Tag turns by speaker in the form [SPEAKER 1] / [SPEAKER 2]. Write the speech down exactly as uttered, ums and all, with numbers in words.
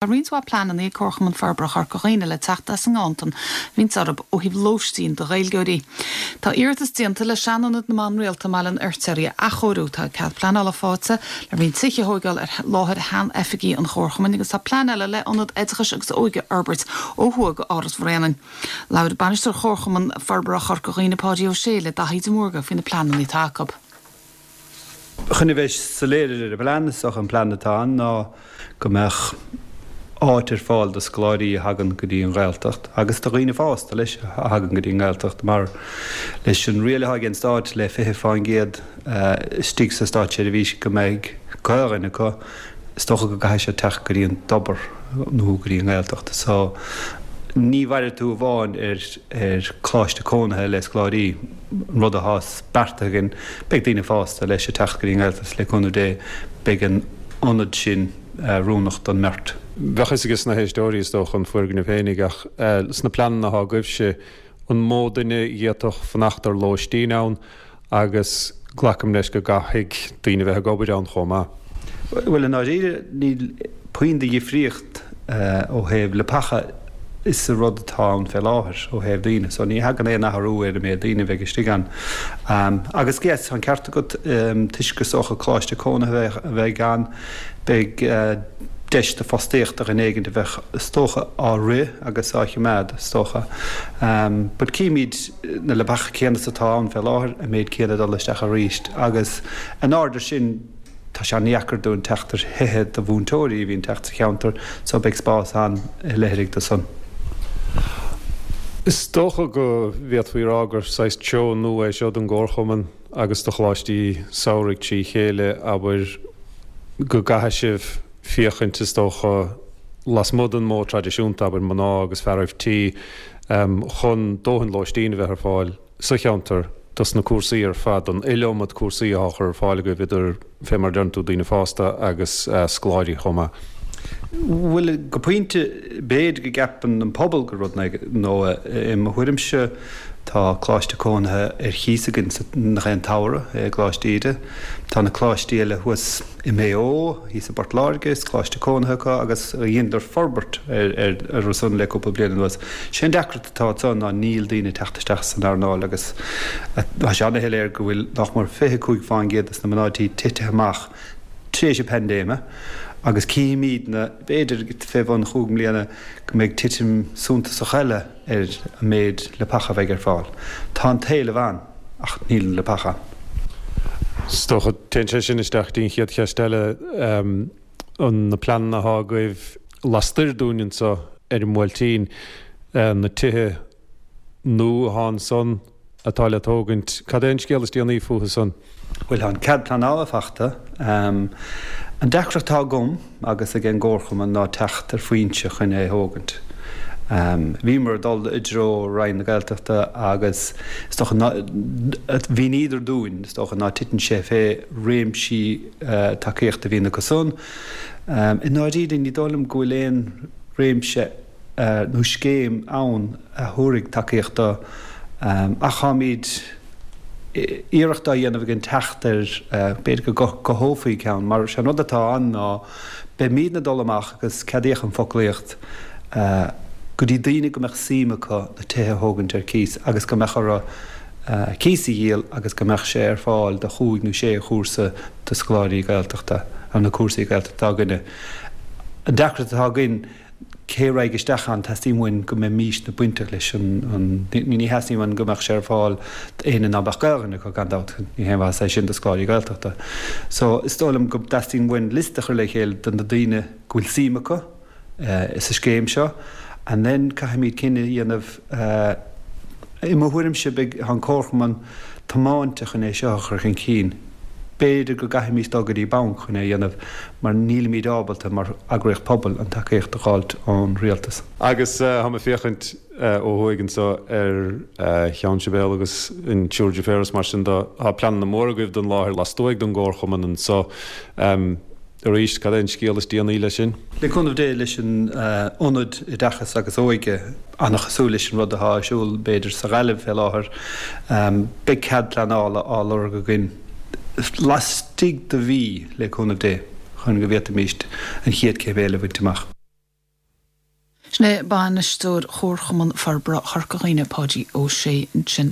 [SPEAKER 1] Tá roinnt mhaith pleananna ag Comharchumann Forbartha Chorca Dhuibhne le teacht as an nganntan a bhíonns orthu ó thaobh lóistín do Ghaeilgeoirí. Tá iarratas déanta le seanionad na mban rialta i mBaile an Fheirtéaraigh a athchóiriú. Tá cead pleanála faighte le roinnt tithe a thógáil ar láthair shean-oifigí an Chomharchumainn agus tá plean eile le ionad oideachais agus óige a fhorbairt ó thuaidh d'Áras Bhréanainn. Labhair bainisteoir Chomharchumann Forbartha Chorca Dhuibhne Páidí Ó Sé le Daithí de Mórdha faoi na pleananna atá acu.
[SPEAKER 2] Chun a bheith soiléir ar an bplean is an plean atá ann ná go mbeadh áit ar fáil do scoláirí a thagann go dtí an Ghaeltacht agus do dhaoine fásta leis a thagann go dtí an Ghaeltacht mar leis an riail atá ag an stát le fiche faoin gcéad istigh sa státseirbhís go mbeidh Gaelainn acu is dócha go gcaithfidh sé teacht go dtí an Tobar nó go dtí an Ghaeltacht. So ní mhairfidh tú amháin ar ar choláiste cónaithe le scoláirí an rud atá beartaithe againn beidh daoine fásta leis ag teacht go dtí an Ghaeltacht le cúnamh Dé beidh an ionad sin oiriúnach don mbeirt.
[SPEAKER 3] Bheadh fhios aige na héisteoirí is dócha an foirgneamh féinig ach sna pleananna atá agaibhse an mó duine a d'fhéadfadh fanacht ar lóistín ann agus glacaim leis go gcaithfidh daoine bheith ag obair ann chomh maith.
[SPEAKER 2] Bhuel i ndáiríre níl puinn de dhifríocht ó thaobh leapacha is an rud atá ann fé láthair ó thaobh daoine, so ní thagann aon athrú ar an méid daoine a bheidh istigh ann. Agus yes, tá an ceart agat toisc gur is dócha coláiste cónaithe a bheidh ann, beidh deis do fostaíocht do dhuine éigin a bheadh is dócha á rith agus á choimeád is dócha. But címid na leapacha céanna is atá ann fé láthair, an méid céanna dul isteach arís agus in airde sin tá sé an-deacair dúinn teacht ar thithe do mhúinteoirí a bhíonn teacht sa cheantar so beidh spás ann i leithrigh do san.
[SPEAKER 3] Is dócha go bhféadfaí rá gur saghas treo nua é seo don gComharchumann agus do choláistí samhraidh trí chéile abair go gcaithfidh sibh féachaint is dócha lasmuigh den modh traidisiúnta abair mná agus fearaibh tí chun dóthain lóistín a bheith ar fáil sa cheantar dos na cúrsaí ar fad, an iliomad cúrsaí atá á chur ar fáil agaibh idir, fé mar a deireann tú, daoine fásta agus scoláirí chomh maith.
[SPEAKER 2] Bhuel, go pointe, b'fhéidir go gceapann an pobal gur rud nua. I mo thuairimse, tá coláiste cónaithe ar chíos againn nach aon tsamhradh i gColáiste Íde. Tá na coláistí eile thuas i Maigh Eo, thíos i bPort Láirge, is coláiste cónaithe acu agus dheineadar forbairt ar san le cúpla bliain anuas. Sé an deacracht atá ansan ná níl daoine ag teacht isteach san earnáil agus tá sé ana-shoiléir go bhfuil nach mór fiche cúig fán gcéad des na mná tí titithe amach tar éis an paindéime agus cífimídne, b'fhéidir fé bhun chúig mbliana, go mbeidh titim suntasach eile ar an méid leapacha a bheidh ar fáil. Tá an t-éileamh ann, ach níl na leapacha ann.
[SPEAKER 3] Is dócha, téann sé sin isteach dtí an chéad cheist eile, an na pleananna atá agaibh lastoir dúinn anseo ar an mBuailtín, na tithe nua atá ansan atá le tógaint, cad é an scéal is déanaí fúthu san?
[SPEAKER 2] Bhuel, tá an cead pleanála fachta. An deacracht atá agam agus ag an gComharchumann ná teacht ar foinse chun é a thógaint. Bhíomar ag dul i dtreo Roinn na Gaeltachta agus is dócha ná, mhíníodar dúinn, is dócha, ná titeann sé fé réimsí tacaíochta a bhíonn acu san. I ndáiríre, ní dóigh liom go bhfuil aon réimse nó scéim ann a thabharfaidh tacaíocht do, ach táimid iarracht á dhéanamh againn teacht ar, b'fhéidir go gcothófaí ceann, mar sé an rud atá ann ná beimídne ag dul amach agus ceadaíodh an foclaíocht go dtí daoine go mbeadh suim acu na tithe a thógaint ar cíos agus go mbeadh orthu cíos a dhíol agus go mbeadh sé ar fáil do chúig nó sé chúrsa do scoláirí Gaeltachta, ar na cúrsaí Gaeltachta atá againne. An deacracht atá againn, cé a raghaidh isteach ann, teastaíonn uainn go mbeimísne bainteach leis an, ní theastaíonn uainn go mbeadh sé ar fáil d'éinne ná beadh Gaelainn acu, gan dabht, ní haon mhaitheas é sin do scoláirí Gaeltachta. So, is dóigh liom go dteastaíonn uainn liosta a chur le chéile de na daoine go bhfuil suim acu sa scéim seo and then caithfimid cinneadh a dhéanamh, i mo thuairimse, beidh, tá an Comharchumann tiomáinte chun é seo a chur chun cinn. B'fhéidir go gcaithfimís dul go dtí banc chun é a dhéanamh mar nílimid ábalta mar eagraíocht pobail an tacaíocht a dh'fháilt ón rialtas.
[SPEAKER 3] Agus táim ag féachaint ó thuaidh anseo ar Cheann Sibéal agus an tSiúr Deirfiúr is mar sin de, tá pleananna móra agaibh don láthair lastuaidh den gComharchumann anseo. Arís, cad é an scéal is déanaí leis sin?
[SPEAKER 2] Le cúnamh Dé, leis an Ionad Oideachais agus Óige, an-chosúil leis an rud atá ar siúl, b'fhéidir, sa Ghaillimh fé láthair, beidh cead pleanála á lorg againn laistigh de mhí, le cúnamh Dé, chun go bhféadfaimíst an chéad chéim eile a bhaint amach.
[SPEAKER 1] Sin é bainisteoir Chomharchumann Forbartha Chorca Dhuibhne Páidí Ó Sé ansin.